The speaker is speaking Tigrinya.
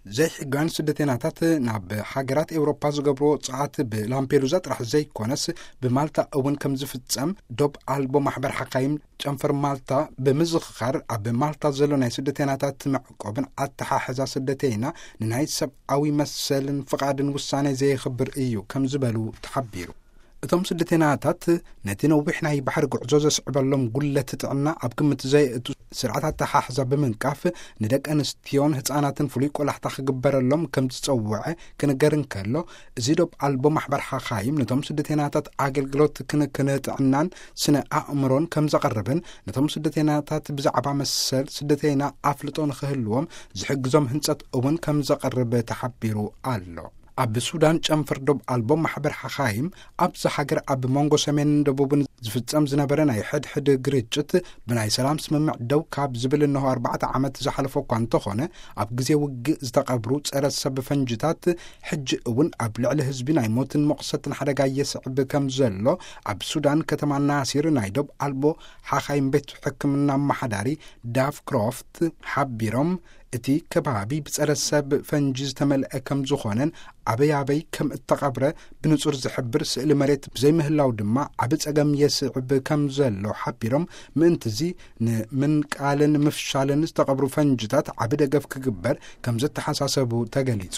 ዘይሕጋውያን ስደተናታት ናብ ሃገራት ኤውሮፓ ዝገብርዎ ጸዓት ብላምፔዱዛ ጥራሕ ዘይኮነስ፣ ብማልታ እውን ከም ዝፍጸም ዶብ ኣልቦ ማሕበር ሓካይም ጨንፈር ማልታ ብምዝኽኻር፣ ኣብ ማልታ ዘሎ ናይ ስደተናታት መዕቆብን ኣተሓሕዛ ስደተይና ንናይ ሰብኣዊ መሰልን ፍቓድን ውሳኔ ዘየኽብር እዩ ከም ዝበሉ ተሓቢሩ። እቶም ስደተናታት ነቲ ነዊሕ ናይ ባሕሪ ጉዕዞ ዘስዕበሎም ጉለት ጥዕና ኣብ ግምት ዘየእቱ ስርዓት ኣተሓሕዛ ብምንቃፍ፣ ንደቂ ኣንስትዮን ህጻናትን ፍሉይ ቆላሕታ ክግበረሎም ከም ዝጸውዐ ክንገር እንከሎ፣ እዚ ዶብ ኣልቦ ማሕበር ሓኻይም ነቶም ስደተናታት ኣገልግሎት ክንክን ጥዕናን ስነ ኣእምሮን ከም ዘቕርብን፣ ነቶም ስደተናታት ብዛዕባ መሰል ስደተይና ኣፍልጦ ንኽህልዎም ዝሕግዞም ህንጸት እውን ከም ዘቕርብ ተሓቢሩ ኣሎ። ኣብ ሱዳን ጨንፈር ዶብ ኣልቦ ማሕበር ሓኻይም ኣብዛ ሃገር ኣብ መንጎ ሰሜንን ደቡብን ዝፍጸም ዝነበረ ናይ ሕድሕድ ግርጭት ብናይ ሰላም ስምምዕ ደው ካብ ዝብል እነሆ ኣርባዕተ ዓመት ዝሓለፎ እኳ እንተኾነ፣ ኣብ ግዜ ውግእ ዝተቐብሩ ጸረ ሰብ ፈንጅታት ሕጂ እውን ኣብ ልዕሊ ህዝቢ ናይ ሞትን መቑሰትን ሓደጋ የስዕብ ከም ዘሎ ኣብ ሱዳን ከተማ ናሲር ናይ ዶብ ኣልቦ ሓኻይም ቤት ሕክምና ኣመሓዳሪ ዳፍ ክሮፍት ሓቢሮም፣ እቲ ከባቢ ብጸረ ሰብ ፈንጂ ዝተመልአ ከም ዝኾነን ኣበይ ኣበይ ከም እተቐብረ ብንጹር ዝሕብር ስእሊ መሬት ብዘይምህላው ድማ ዓቢ ጸገም የስዕብ ከም ዘሎ ሓቢሮም፣ ምእንትዚ ንምንቃልን ምፍሻልን ዝተቐብሩ ፈንጅታት ዓቢ ደገፍ ክግበር ከም ዘተሓሳሰቡ ተገሊጹ።